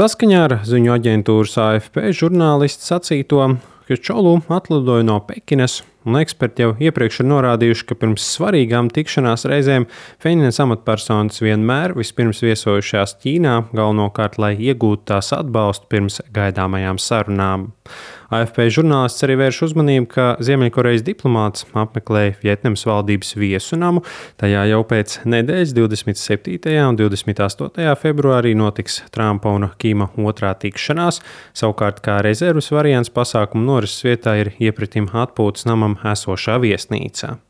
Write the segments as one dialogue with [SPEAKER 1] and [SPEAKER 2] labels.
[SPEAKER 1] Saskaņā ar ziņu aģentūras AFP žurnālists sacīto, ka Čolu atlidoja no Pekinas, un eksperti jau iepriekš ir norādījuši, ka pirms svarīgām tikšanās reizēm Pjēnjānas amatpersonas vienmēr vispirms viesojušās Ķīnā, galvenokārt, lai iegūtu tās atbalstu pirms gaidāmajām sarunām. AFP žurnālists arī vērš uzmanību, ka Ziemeļkorejas diplomāts apmeklēja Vjetnamas valdības viesu namu. Tajā jau pēc nedēļas 27. un 28. februārī notiks Trumpa un Kima otrā tikšanās. Savukārt kā rezerves variants pasākumu norises vietā ir iepratim atpūtas namam esošā viesnīca.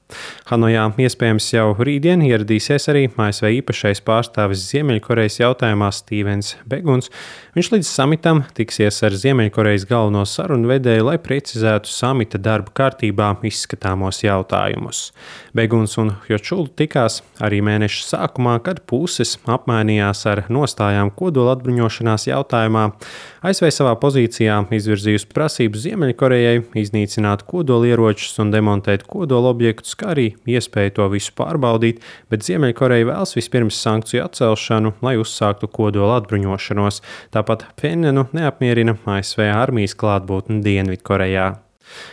[SPEAKER 1] Hanojā iespējams jau rītdien ieradīsies arī ASV īpašais pārstāvis Ziemeļkorejas jautājumā Stīvens Beguns. Viņš līdz samitam tiksies ar Ziemeļkorejas galveno sarunu vedēju, lai precizētu samita darba kārtībā izskatāmos jautājumus. Beguns un Hjočulu tikās arī mēneša sākumā, kad puses apmainījās ar nostājām kodola atbruņošanās jautājumā. ASV savā pozīcijā izvirzījusi prasību Ziemeļkorejai iznīcināt kodolieročus un demontēt kodola objektus, kā arī iespēju to visu pārbaudīt, bet Ziemeļkoreja vēlas vispirms sankciju atcelšanu, lai uzsāktu kodola atbruņošanos. Tāpat Pjēnjānu neapmierina ASV armijas klātbūtne Dienvidkorejā.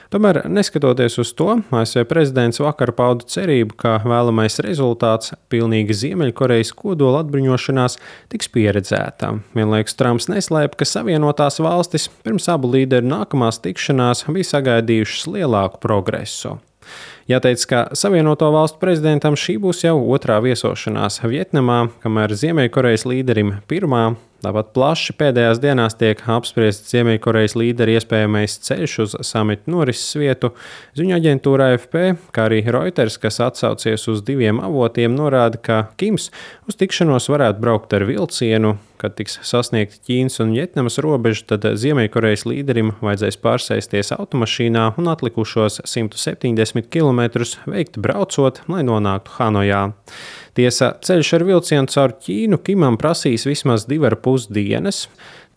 [SPEAKER 1] Tomēr, neskatoties uz to, ASV prezidents vakar pauda cerību, ka vēlamais rezultāts pilnīga Ziemeļkorejas kodola atbruņošanās tiks pieredzēta. Vienlaikus Trumps neslēpa, ka Savienotās valstis pirms abu līderu nākamās tikšanās bija sagaidījušas lielāku progresu. Jāteic, ka Savienoto valstu prezidentam šī būs jau otrā viesošanās Vjetnamā, kamēr Ziemeļkorejas līderim pirmā. Tāpat plaši pēdējās dienās tiek apspriests Ziemeļkorejas līdera iespējamais ceļš uz samita norises vietu. Ziņu aģentūra AFP, kā arī Reuters, kas atsaucies uz diviem avotiem, norāda, ka Kims uz tikšanos varētu braukt ar vilcienu. Kad tiks sasniegta Ķīnas un Vjetnamas robeža, tad Ziemeļkorejas līderim vajadzēs pārsēsties automašīnā un atlikušos 170 km veikt braucot, lai nonāktu Hanojā. Tiesa, ceļš ar vilcienu caur Ķīnu Kimam prasīs vismaz 2,5 dienas.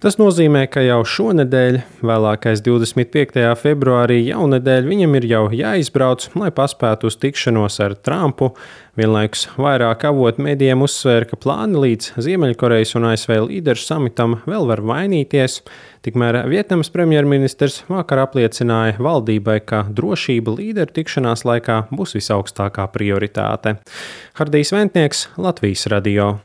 [SPEAKER 1] Tas nozīmē, ka jau šonedēļ, vēlākais 25. februārī jaunedēļ, viņam ir jau jāizbrauc, lai paspētu uz tikšanos ar Trumpu. Vienlaikus vairāk avotu medijiem uzsvēra, ka plāni līdz Ziemeļkorejas un ASV līderu samitam vēl var mainīties. Tikmēr Vjetnamas premjerministrs vakar apliecināja valdībai, ka drošība līderu tikšanās laikā būs visaugstākā prioritāte. Hardijs Ventnieks, Latvijas radio.